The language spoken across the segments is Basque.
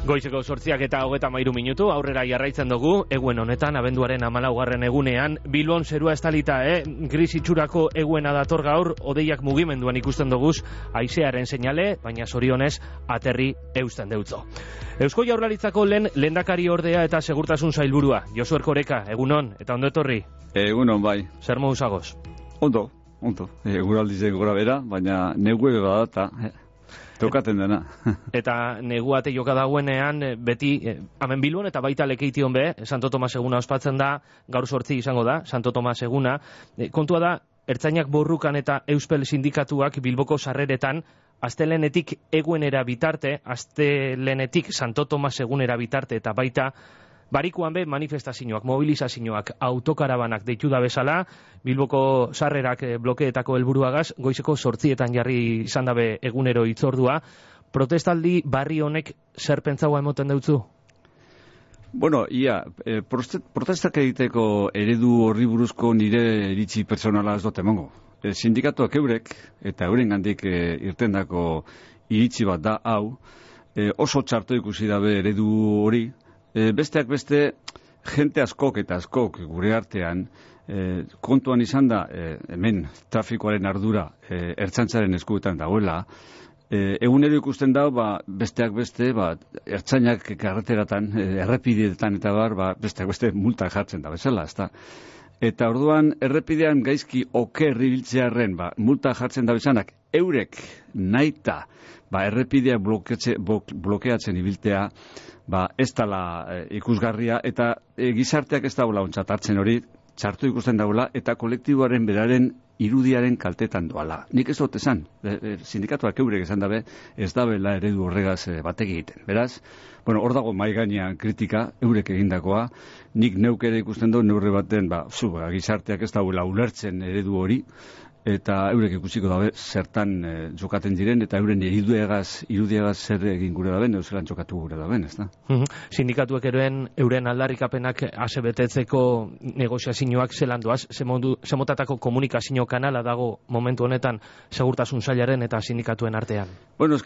Goizeko 8:33 aurrera jarraitzen dugu, eguen honetan, abenduaren 14. egunean, Bilbon zerua estalita, gris itxurako eguena dator gaur, hodeiak mugimenduan ikusten duguz, haizearen seinale, baina zorionez, aterri eusten deutzo. Eusko Jaurlaritzako lehendakari ordea eta segurtasun sailburua, Josu Erkoreka, egunon, eta ondo etorri? Egunon, bai. Zer modu zagoz? Ondo. Eguraldizen gora bera, baina negue badata, tokaten dena. Eta neguate joka dagoenean, beti, hemen Bilbon eta baita Lekeition be, Santo Tomas eguna ospatzen da, gaur 8 izango da, Santo Tomas eguna. Kontua da, ertzainak borrukan eta Euspel sindikatuak Bilboko sarreretan, astelenetik eguenera bitarte, astelenetik Santo Tomas egunera bitarte, eta baita, barikuan be manifestazioak, mobilizazioak, autokarabanak deitu da bezala, Bilboko sarrerak blokeetako helburuagaz, goizeko 8 jarri izan dabe egunero hitzordua. Protestaldi barri honek zer pentsaua emoten deutzu? Bueno, protestak egiteko eredu horri buruzko nire iritzi pertsonala ez dut emango. Sindikatuak eurek, eta euren gandik irtendako iritzi bat da hau, oso txarto ikusi dabe eredu hori. Besteak beste, jente askok eta askok gure artean, kontuan izan da, hemen trafikoaren ardura ertzaintzaren eskuetan dagoela, egunero ikusten da, besteak beste, ertzainak karreteratan, errepideetan eta besteak beste multa jartzen da bezala, ezta? Eta orduan, errepidean gaizki oker ibiltzearren, multa jartzen da bezanak, eurek naita, errepidea blokeatzen ibiltea, ez dala ikusgarria, eta gizarteak ez daula ontzat hartzen hori, txartu ikusten daula, eta kolektiboaren beraren irudiaren kaltetan doala. Nik ez dut esan, sindikatuak eurek esan dabe, ez dabela eredu horregaz batek egiten. Beraz, hor dago mahai gainean kritika, eurek egindakoa, nik neuk ere ikusten dut, neurre baten, gizarteak ez daula ulertzen eredu hori, eta eurek ikusiko dabe zertan jokaten diren, eta euren irudiagaz zer egin gure daben, euselan jokatu gure daben, ez da? Sindikatuek euren aldarrikapenak asebetetzeko negoziazioak zelandoaz, zemotatako komunikazio kanala dago momentu honetan segurtasun sailaren eta sindikatuen artean? Bueno,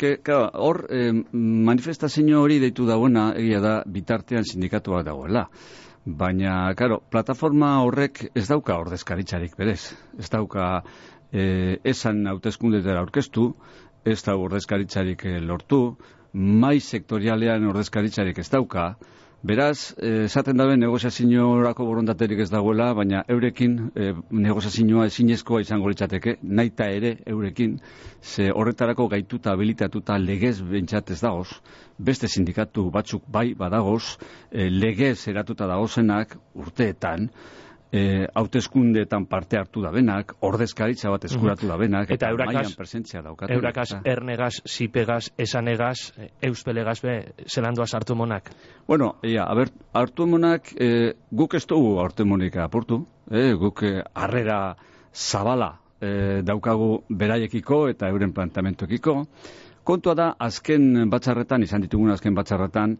hor manifestazio hori deitu dagoena, egia da, bitartean sindikatuak dagoela. Baina, plataforma horrek ez dauka ordezkaritzarik berez. Ez dauka esan hauteskundetara aurkeztu, ez da ordezkaritzarik lortu, mai sektorialean ordezkaritzarik ez dauka. Beraz, esaten dabe negoziaziorako borondaterik ez dagoela, baina eurekin negoziazioa ezinezkoa izango litzateke, naita ere eurekin, ze horretarako gaituta, habilitatuta legez bentsat ez dagoz, beste sindikatu batzuk bai badagoz, legez eratuta dagozenak urteetan, hauteskundeetan parte hartu dabenak, ordezkaritza bat eskuratu dabenak, eta mailan presentzia daukatu. Eurakaz, ernegaz, zipegaz, esanegaz, euspelegaz be, zelandoaz hartu monak? Bueno, hartu monak, guk ez dugu hartu monik apurtu, guk harrera zabala daukagu beraiekiko eta euren plantamentuekiko. Kontua da, azken batzarretan, izan ditugun azken batzarretan,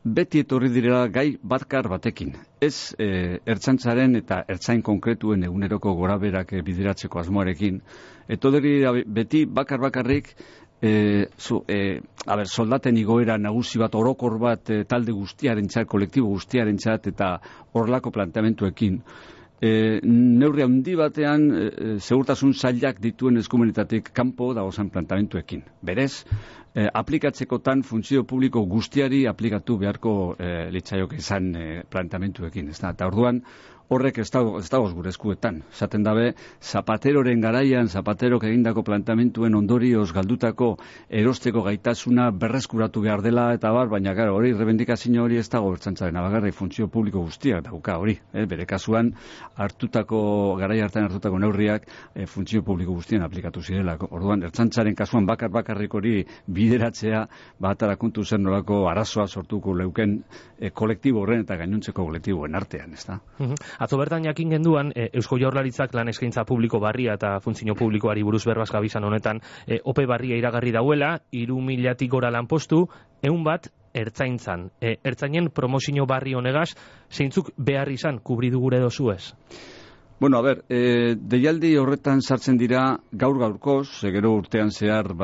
beti etorri direla gai batkar batekin. Ez ertzaintzaren eta ertzain konkretuen eguneroko goraberak bideratzeko asmoarekin. Etorri beti bakarrik soldaten igoera nagusi bat, orokor bat talde guztiarentzat, kolektibo guztiarentzat eta horlako planteamentuekin. Neurri handi batean segurtasun sailak dituen eskumenetatik kanpo dagozan plantamentuekin. Berez, aplikatzekotan funtzio publiko guztiari aplikatu beharko litzaiok izan plantamentuekin. Eta orduan, horrek ez dagoz gure eskuetan. Esaten dabe, Zapateroren garaian, Zapaterok egindako plantamentuen ondorioz galdutako erosteko gaitasuna berreskuratu behar dela, eta baina hori, rebendikazio hori ez dago ertzaintzaren abagarri funtzio publiko guztiak dauka hori. Bere kasuan, garai hartan hartutako neurriak funtzio publiko guztien aplikatu zirelako. Orduan, ertzaintzaren kasuan bakarrik hori bideratzea, batara kontu zer nolako arazoa sortuko leuken kolektibo horren eta gainontzeko kolektiboen artean, ez da? Atzo bertan jakin genduan, Eusko Jaurlaritzak lan eskaintza publiko barria eta funtzio publikoari buruz berbaz gabizan honetan, ope barria iragarri dauela, 3.000 gora lanpostu, 100 bat ertzaintzan. Ertzainen promozio barri honegaz, zeintzuk behar izan kubridu gure dozuez? Bueno, deialdi horretan sartzen dira gaur-gaurkoz, gero urtean zehar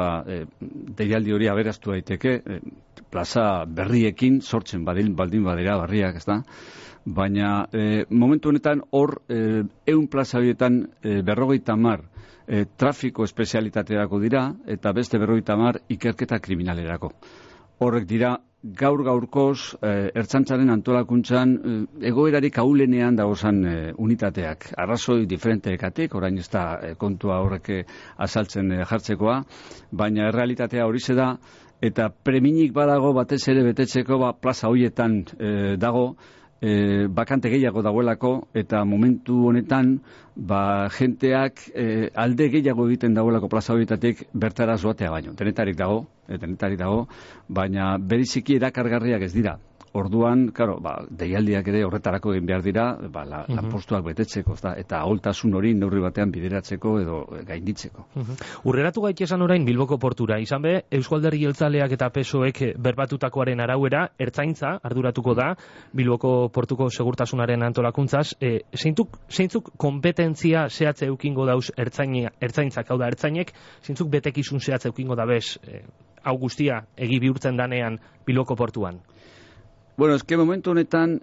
deialdi hori aberastu daiteke, plaza berriekin sortzen baldin badira barriak, ez da? Baina momentu honetan hor 100 plaza horietan 50 trafiko espezialitaterako dira eta beste 50 ikerketa kriminalerako. Horrek dira gaur-gaurkoz ertzaintzaren antolakuntzan egoerarik ahulenean dagozan unitateak. Arrazoi diferenteekatik, orain ez da kontua horrek azaltzen jartzekoa, baina errealitatea horixe da, eta preminik badago batez ere betetzeko plaza horietan dago, bakante gehiago dagoelako, eta momentu honetan jenteak alde gehiago egiten dagoelako plaza horietatik bertara zoatea baino. Denetarik dago, baina beriziki erakargarriak ez dira. Orduan, claro, deialdiak ere horretarako egin behar dira, lanpostuak betetzeko, eta aholtasun hori neurri batean bideratzeko edo gainditzeko. Urreratu gaitesan orain Bilboko portura, izan be, Eusko Alderdi Jeltzaleak eta PSOek berbatutakoaren arauera, ertzaintza arduratuko da Bilboko portuko segurtasunaren antolakuntzaz. Zeintzuk kompetentzia zehatze eukingo dauz ertzaintzak, hau da, ertzainek, zeintzuk betekizun zehatze eukingo da bez, hau guztia egi bihurtzen danean Bilboko portuan? Bueno, eske momentu honetan,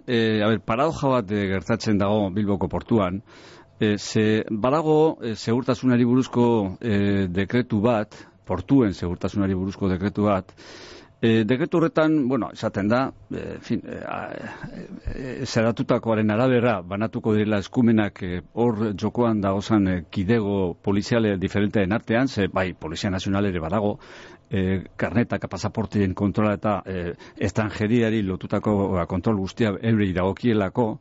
paradoja bat gertatzen dago Bilboko portuan, badago segurtasunari buruzko dekretu bat, portuen segurtasunari buruzko dekretu bat, dekretu horretan, esaten da, zeratutakoaren arabera banatuko direla eskumenak hor jokoan dagozan kidego poliziale diferenteen artean, bai, Polizia Nazional ere badago, karnetaka pasaportien kontrola eta estrangeriari lotutako kontrol guztia eurei dagokielako,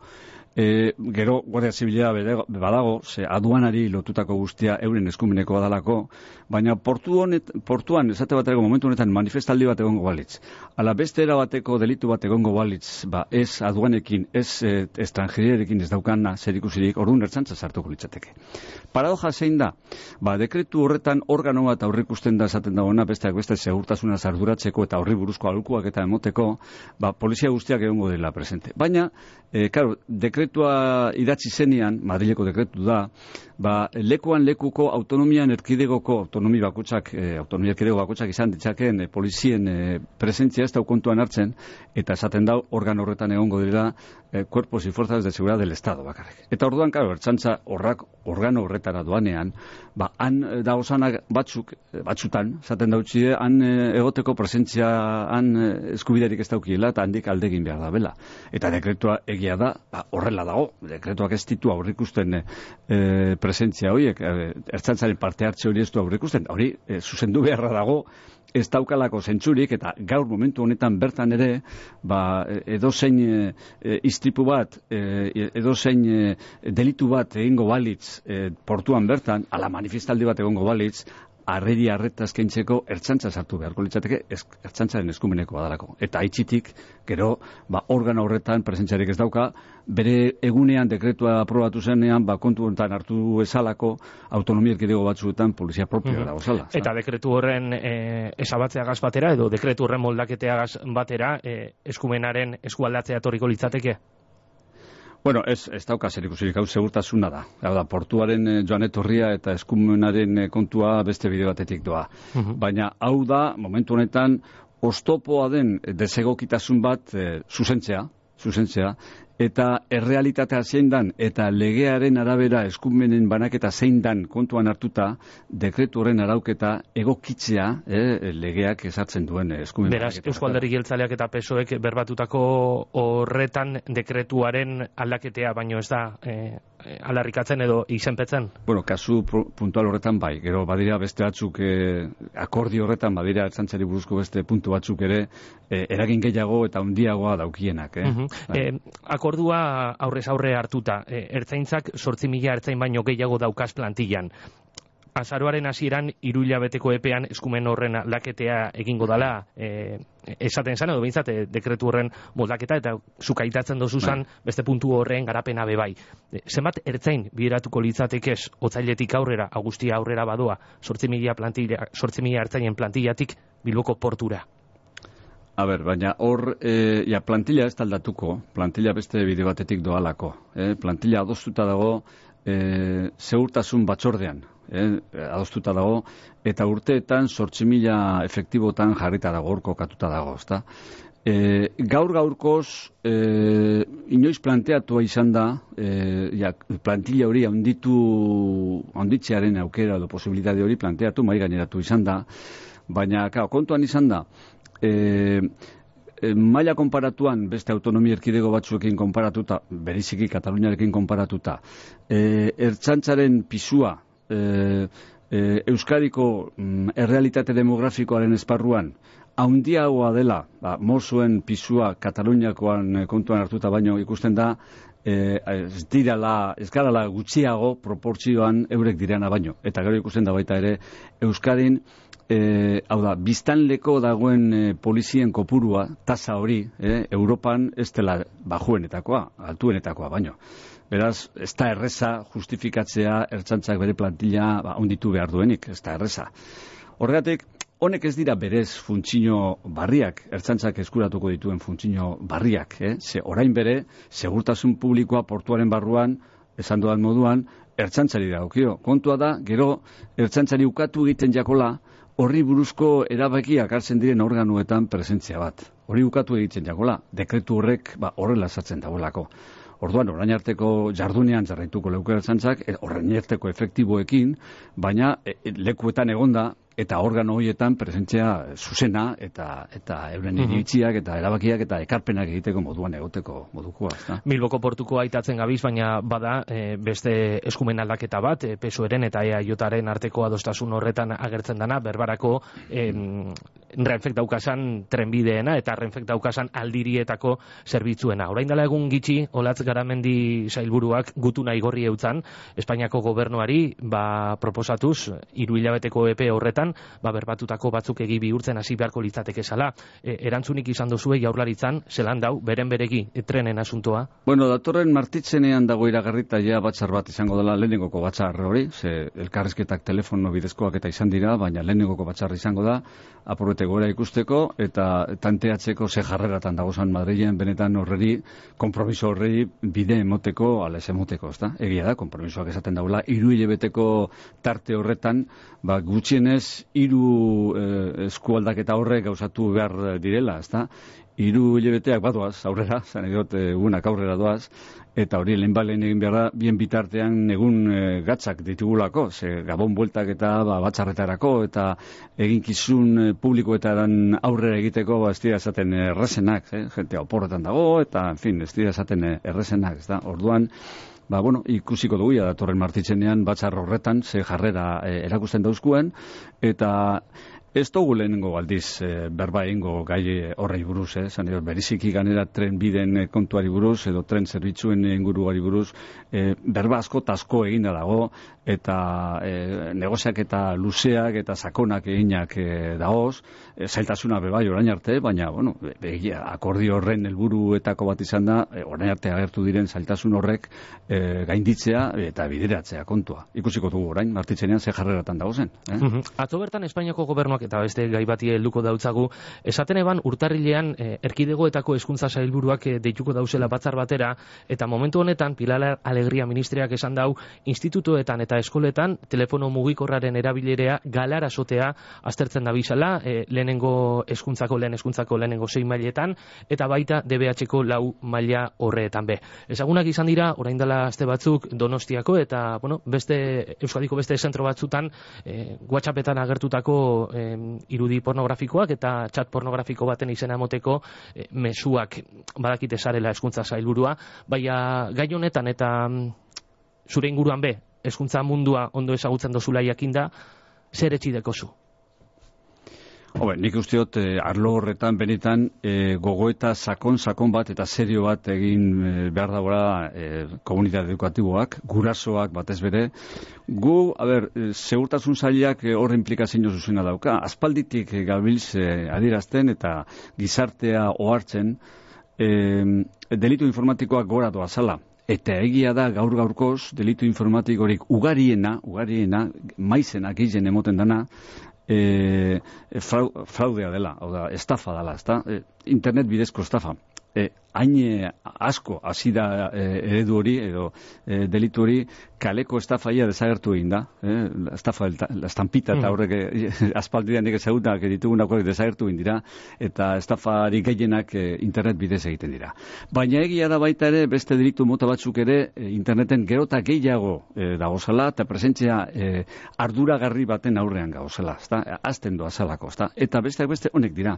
gero Guardia Zibila badago, aduanari lotutako guztia euren eskumeneko badalako, baina portuan esate baterako momentu honetan manifestaldi bat egongo balitz. Ala beste era bateko delitu bat egongo balitz, ez aduanekin, ez estrangeriarekin ez daukana zerikusirik, orduan ertzaintza sartuko litzateke. Paradoja zein da, dekretu horretan organo bat aurrikusten da esaten dagoena, besteak beste segurtasuna arduratzeko eta horri buruzko aholkuak eta emoteko, polizia guztiak egongo dela presente. Baina, dekretua idatzi zenean, Madrileko dekretu da, lekuan lekuko autonomian erkidegoko autonomia bakoitzak izan ditzakeen polizien presentzia ez da kontuan hartzen, eta esaten da organo horretan egongo dira cuerpos y fuerzas de seguridad del Estado bakarrik. Eta orduan, ertzaintza organo horretara doanean, han dagozanak batzutan, esaten dautxide, han egoteko presentzia, han eskubiderik ez daukiela, eta handik aldegin behar da bela. Eta dekretua egia da, horrela dago, dekretuak ez ditu aurrikusten presentzia horiek, ertzaintzaren parte hartze hori ez du aurrikusten, hori zuzendu beharra dago, ez daukalako zentzurik, eta gaur momentu honetan bertan ere, edozein istripu bat, edozein delitu bat egingo balitz portuan bertan, ala manifestaldi bat egongo balitz, arreta eskaintzeko ertzaintza sartu beharko litzateke ertzaintzaren eskumeneko badalako. Eta aitzitik, gero, organo horretan presentziarik ez dauka, bere egunean dekretua aprobatu zenean, kontu honetan hartu ezalako autonomia erkidego batzuetan polizia propioa dago zala. Eta dekretu horren esabatzeagaz batera, edo dekretu horren moldaketeagaz batera, eskumenaren eskualdatzea etorriko litzateke? Bueno, ez dauka zerikusirik, hau segurtasuna da. Hau da, portuaren joan etorria eta eskumenaren kontua beste bide batetik doa. Baina hau da, momentu honetan, oztopoa den desegokitasun bat zuzentzea, eta errealitatea zein dan, eta legearen arabera eskumenen banaketa zein dan kontuan hartuta, dekretu horren arauketa egokitzea legeak ezartzen duen eskumen. Beraz, Eusko Alderdi Jeltzaleak eta PSOek berbatutako horretan dekretuaren aldaketea baino ez da alarrikatzen edo izenpetzen? Bueno, kasu puntual horretan bai, gero badira beste batzuk akordio horretan badira ertzaintzari buruzko beste puntu batzuk ere eragin gehiago eta handiagoa daukienak. Akordua aurrez aurre hartuta, ertzaintzak 8.000 ertzain baino gehiago daukaz plantillan. Azaroaren hasieran 3 hilabeteko epean eskumen horren aldaketea egingo dala, esaten zen, edo behintzat dekretu horren moldaketa, eta zuk aitatzen dozuzan beste puntu horren garapena bebai. Zenbat ertzain bideratuko litzatekez otsailetik aurrera, agustia aurrera badoa, 8.000 ertzainen plantillatik Bilboko portura? Baina hor, plantilla ez taldatuko, plantilla beste bide batetik doalako. Plantilla adostuta dago segurtasun batzordean, adostuta dago, eta urteetan 8.000 efektibotan jarrita dago, hor kokatuta dago, ezta? Gaur-gaurkoz, inoiz planteatua izan da, plantilla hori handitzearen aukera edo posibilitate hori planteatu, mai gaineratu izan da, baina kontuan izan da, maila konparatuan beste autonomia erkidego batzuekin konparatuta, bereziki Kataluniarekin konparatuta, ertzaintzaren pisua Euskadiko errealitate demografikoaren esparruan handiagoa dela, Mossoen pisua Kataluniakoan kontuan hartuta baino ikusten da, ez garala gutxiago proportzioan eurek direna baino. Eta gero ikusten da baita ere, Euskadin, biztanleko dagoen polizien kopurua, tasa hori, Europan ez dela bajuenetakoa, altuenetakoa baino. Beraz, ez da erreza justifikatzea ertzaintzak bere plantilla handitu behar duenik, ez da erreza. Horregatik, honek ez dira berez funtzio barriak, ertzaintzak eskuratuko dituen funtzio barriak, ze orain bere, segurtasun publikoa portuaren barruan, esan dudan moduan, ertzaintzari dagokio. Kontua da, gero, ertzaintzari ukatu egiten jakola, horri buruzko erabakiak hartzen diren organuetan presentzia bat. Hori ukatu egiten jakola, dekretu horrek horrela sartzen dagoelako. Orduan, orain arteko jardunean jarraituko leuke ertzaintzak, orain arteko efektiboekin, baina lekuetan egonda, eta organo horietan presentzia zuzena eta euren iritziak eta erabakiak eta ekarpenak egiteko moduan egoteko modukoa. Bilboko portuko aitatzen gabiz, baina bada beste eskumen aldaketa bat, PSOEren eta EAJaren arteko adostasun horretan agertzen dana, berbarako Renfek daukasan trenbideena eta Renfek daukasan aldirietako zerbitzuena. Orain dela egun gitxi, Olatz Garamendi sailburuak gutuna igorri eutzan, Espainiako gobernuari proposatuz 3 hilabeteko epe horretan berbatutako batzuk egi bihurtzen hasi beharko litzateke zala. Erantzunik izan dozue Jaurlaritzan, zelan dau, beregi trenen asuntoa? Bueno, datorren martitzenean dago iragarrita batzar bat izango dela, lehenengoko batzar hori, ze elkarrizketak telefono bidezkoak eta izan dira, baina lehenengoko batzar izango da, apurrete gora ikusteko eta tanteatzeko ze jarreratan dagozan Madrilen benetan horreri, konpromiso horrei bide emoteko, ala ez emoteko, ezta? Egia da, konpromisoak esaten daula, 3 hilabeteko tarte horretan, gutxienez 3 eskualdaketa horrek gauzatu behar direla, ezta? 3 hilabeteak badoaz, aurrera, zan egot, egunak aurrera doaz, eta hori lehenbalen egin behar da, bien bitartean egun gatzak ditugulako, ze gabon bueltak eta batzarretarako, eta eginkizun publikoetaren aurrera egiteko, ez dira esaten errezenak, jentea oporretan dago, eta, en fin, ez dira esaten errezenak, ez da? Orduan, ikusiko dugu datorren martitzenean batzar horretan ze jarrera erakusten dauzkuen, eta ez dugu lehenengo aldiz berba egingo gai horrei buruz, beriziki ganera tren biden kontuari buruz, edo tren zerbitzuen inguruari buruz, berba asko eta asko eginda dago, eta negoziak eta luzeak eta sakonak eginak dagoz, zailtasuna bebai orain arte, baina, akordio horren helburuetako bat izan da, orain arte agertu diren zailtasun horrek gainditzea eta bideratzea kontua. Ikusiko dugu orain, martitzenean ze jarreratan dagozen. Atzo bertan Espainiako gobernuak eta beste gai bati helduko dautzagu, esaten eban urtarrilean erkidegoetako hezkuntza sailburuak deituko dauzela batzar batera, eta momentu honetan Pilar Alegria ministriak esan dau, institutoetan eta eskoletan telefono mugikorraren erabilerea galarazotea aztertzen da bizala, lehen hezkuntzako lehenengo 6 mailetan, eta baita DBH-ko 4 maila horreetan be. Ezagunak izan dira, orain dela aste batzuk Donostiako, eta Euskadiko beste zentro batzutan WhatsAppetan agertutako irudi pornografikoak eta chat pornografiko baten izena emoteko mezuak badakite zarela hezkuntza sailburua, baina gai honetan eta zure inguruan be, hezkuntza mundua ondo ezagutzen dozula jakinda, zer etxideko zu? Nik usteot arlo horretan benetan gogoeta sakon bat eta serio bat egin behar dagoela komunitate edukatiboak, gurasoak batez bere. Gu, segurtasun sailak horre implikazio zuzena dauka. Aspalditik gabiltz adierazten eta gizartea ohartzen delitu informatikoak gora doazala. Eta egia da gaur-gaurkoz delitu informatikorik ugariena, maizena gehien emoten dana, fraudea dela, estafa dela, internet bidezko estafa. hain asko hasi da eredu hori edo delitu hori kaleko estafaia desagertu egin da. Estafa, la estampita eta horrek aspaldian ezagutak ditugunak desagertu egin dira eta estafari gehienak internet bidez egiten dira. Baina egia da baita ere beste delitu mota batzuk ere interneten gero eta gehiago dagozala eta presentzia arduragarri baten aurrean gauzela, azten doa zalako, eta besteak beste honek dira.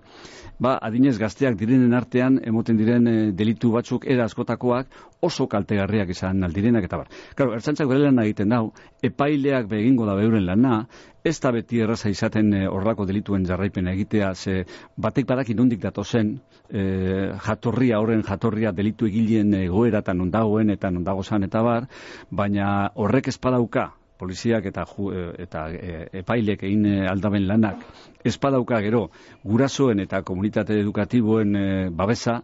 Adinez gazteak direnen artean emoten diren delitu batzuk era askotakoak oso kaltegarriak izan aldirenak eta bar. Claro, ertzaintzak bere lana egiten dau, epaileak egingo da beuren lana, ez da beti erraza izaten horrelako delituen jarraipena egitea, ze batek badaki nondik datozen horren jatorria delitu egileen egoera eta non dagoen eta non dagozan eta bar, baina horrek ez badauka poliziak eta epailek egin aldaben lanak espadauka gero gurasoen eta komunitate edukatiboen babesa,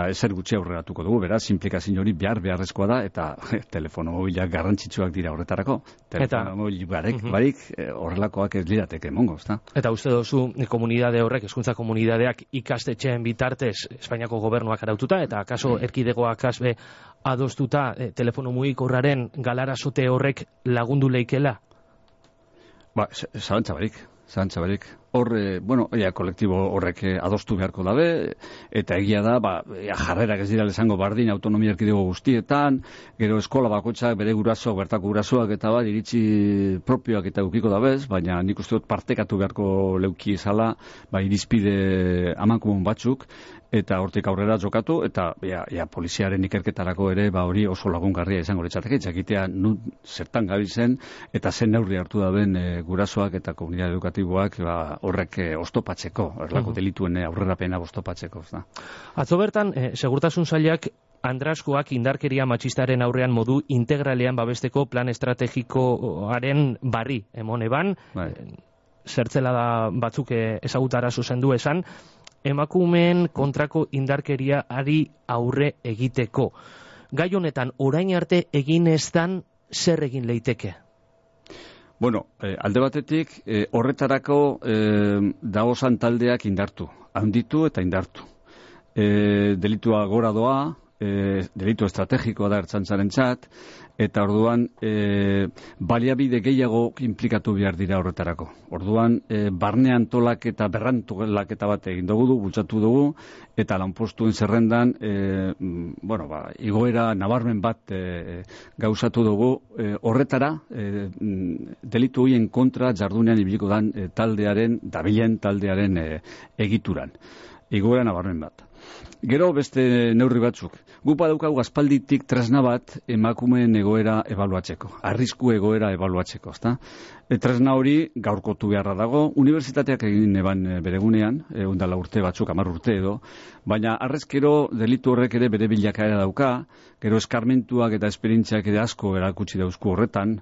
ezer gutxi aurreratuko dugu, beraz, implikazio hori beharrezkoa da, eta telefono mobilak garrantzitsuak dira horretarako. Telefono mobil barik horrelakoak ez lirateke emongo, ezta? Eta uste dozu komunidade horrek, hezkuntza komunidadeak ikastetxeen bitartez Espainiako gobernuak araututa, eta akaso erkidegoak asbe adostuta telefono mugikorraren galarazote horrek lagundu leikela? Zalantza barik. Hor, kolektibo horrek adostu beharko dabe, eta egia da, jarrerak ez dira lesango bardin autonomia erkidego guztietan, gero eskola bakoitzak bere gurasoak, bertako gurasoak eta iritzi propioak eta ukiko dabez, baina nik uste dut partekatu beharko leuki izala, irizpide amankomun batzuk, eta hortik aurrera jokatu, eta poliziaren ikerketarako ere hori oso lagungarria izango litzateke, jakitea zertan gabizen, eta zen neurri hartu daben gurasoak eta komunitate edukatiboak horrek oztopatzeko, horrelako delituen aurrerapena oztopatzeko. Atzo bertan, segurtasun sailak Andraskoak indarkeria matxistaren aurrean modu integralean babesteko plan estrategikoaren barri emon eban, zertzela da batzuk ezagutara zuzendu esan, emakumeen kontrako indarkeriari aurre egiteko. Gai honetan, orain arte egin ez dan, zer egin leiteke? Alde batetik, horretarako dagozan taldeak indartu, handitu eta indartu. Delitua gora doa, delitu estrategikoa da ertzaintzarentzat, eta orduan baliabide gehiago inplikatu behar dira horretarako. Orduan, barne antolaketa, berrantolaketa bat egin dugu, bultzatu dugu, eta lanpostuen zerrendan, igoera nabarmen bat gauzatu dugu, horretara, delitu horien kontra jardunean ibiliko dan dabilen taldearen egituran. Igoera nabarmen bat. Gero beste neurri batzuk. Guk badaukagu aspalditik tresna bat emakumeen egoera ebaluatzeko, arrisku egoera ebaluatzeko, ezta? Tresna hori gaurkotu beharra dago, unibertsitateak egin eban beregunean, ondala urte batzuk, 10 urte edo, baina arrezkero delitu horrek ere bere bilakaera dauka, gero eskarmentuak eta esperientziak ere asko erakutsi dauzku horretan,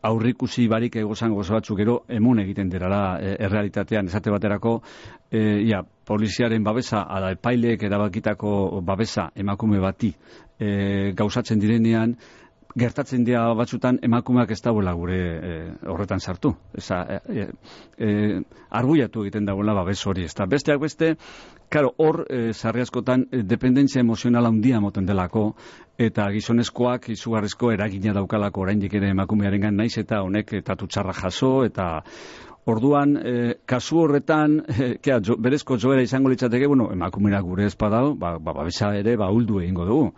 aurrikusi barik egozan gozo batzuk gero emun egiten derala errealitatean esate baterako poliziaren babesa ala epaileek erabakitako babesa emakume bati gauzatzen direnean gertatzen dira batzutan emakumeak ez dagoela gure horretan sartu. Arbuiatu egiten dagoela babes hori. Besteak beste, hor sarri askotan dependentzia emozionala handia moten delako, eta gizonezkoak izugarrizko eragina daukalako oraindik ere emakumearengan naiz eta honek tatu txarra jaso, eta orduan, kasu horretan, berezko joera izango litzateke, emakumeak gure espadau, babesa ere uldu egingo dugu.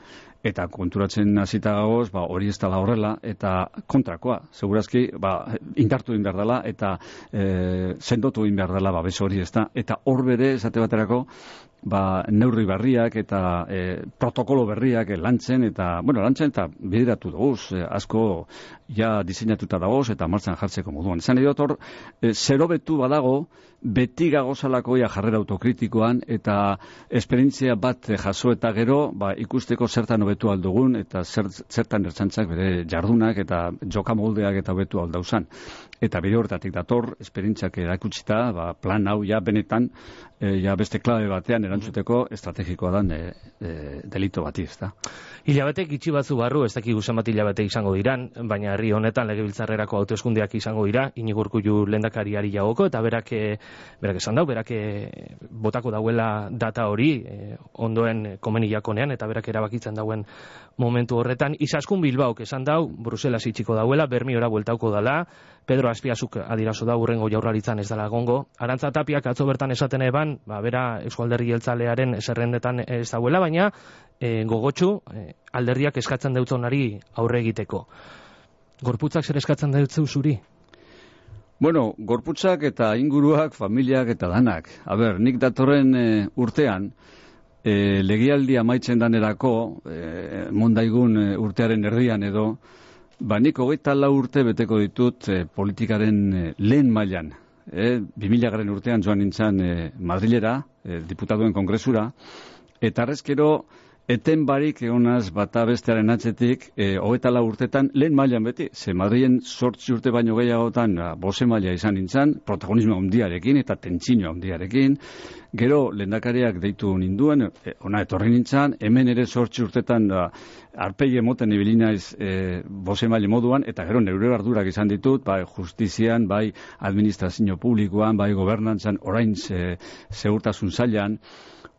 Eta konturatzen hasita gagoz, hori ez dela horrela, eta kontrakoa, segurazki, indartu egin behar dela, eta sendotu egin behar dela babes hori, eta hor bere, esate baterako, neurri berriak eta protokolo berriak lantzen eta bideratu duguz, asko diseinatuta dagoz eta martxan jartzeko moduan. Esan edo hor, zerobetu badago, beti gagozalako jarrera autokritikoan eta esperientzia bat jaso eta gero, ikusteko zertan hobetu aldugun eta zertan ertzaintzak bere jardunak eta jokamoldeak eta hobetu aldauzan. Eta bide horretatik dator, esperientziak erakutsita, plan hau benetan ja beste klabe batean erantzuteko estrategikoa dan delito bati, ezta. Hilabetek itxi batzu barru, ez dakigu zenbat hilabete izango diran, baina herri honetan legebiltzarrerako hauteskundeak izango dira, Iñigo Urkullu lehendakariari jagoko, eta berak esan dau, berak botako dauela data hori, ondoen komeniakonean, eta berak erabakitzen dauen momentu horretan. Izaskun Bilbaok esan dau, Bruselas itxiko dauela, Bermiora bueltauko dala, Pedro Azpiazuk adirazo da urrengo jaurlaritzan ez dela gongo. Arantza Tapiak atzo bertan esaten eban, bera Eusko Alderdi Jeltzalearen zerrendetan ez dauela, baina gogotsu alderdiak eskatzen deutzonari aurre egiteko. Gorputzak zer eskatzen deutzu zuri? Bueno, gorputzak eta inguruak, familiak eta danak. Nik datorren urtean, legialdi amaitzen danerako, mondaigun urtearen erdian edo, nik 24 urte beteko ditut politikaren lehen mailan. 2000 urtean joan nintzen Madrilera, diputatuen kongresura, eta arrezkero eten barik egonaz bata bestearen atzetik 24 urtetan lehen mailan beti. Ze Madrilen 8 urte baino gehiagotan bose maila izan nintzen, protagonismo handiarekin eta tentsino handiarekin. Gero lehendakariak deitu ninduen, ona etorri nintzen, hemen ere 8 urtetan arpegi emoten ibili naiz bose maila moduan, eta gero neure ardurak izan ditut, bai justizian, bai administrazio publikoan, bai gobernantzan, orain segurtasun sailan.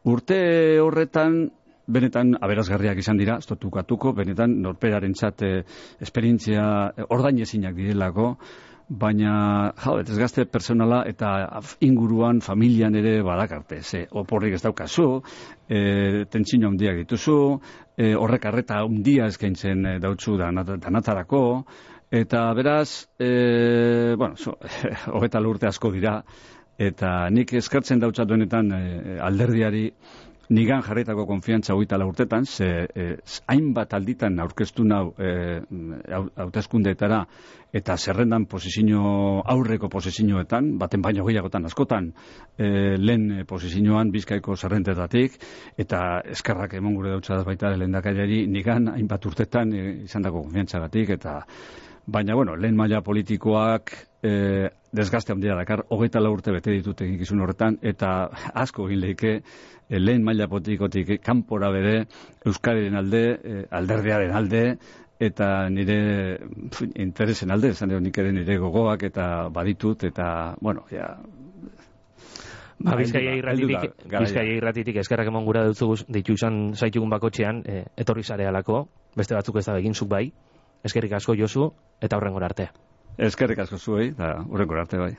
Urte horretan benetan aberasgarriak izan dira, ez dut ukatuko, benetan norperarentzat esperientzia ordainezinak direlako, baina desgaste personala eta inguruan, familian ere badakarte, oporrik ez daukazu, tentsino handiak dituzu, horrek arreta handia eskaintzen dautzu danatarako, eta beraz, 24 urte asko dira, eta nik eskartzen dautzat benetan alderdiari nigan jarritako konfiantza 24 urtetan, hainbat alditan aurkeztu nau hauteskundeetara eta zerrendan aurreko posizioetan, baten baino gehiagotan askotan lehen posizioan Bizkaiko zerrendetatik, eta eskerrak emon gure dautzadaz baita lehendakariari nigan hainbat urtetan izandako konfiantzagatik, eta baina, lehen maila politikoak desgaste handia dakar, 24 urte bete ditut egikizun horretan, eta asko egin lehike lehen maila politikotik kanpora bere Euskadiren alde, alderdiaren alde, eta nire interesen alde, esan dut nik ere nire gogoak eta baditut, eta, Bizkaia irratitik eskerrak emon gura ditu izan zaitugun bakotxean, etorri zarealako, beste batzuk ez da begin zuk bai. Eskerrik asko Josu, eta hurrengora arte. Eskerrik asko zuei, eta hurrengora arte bai.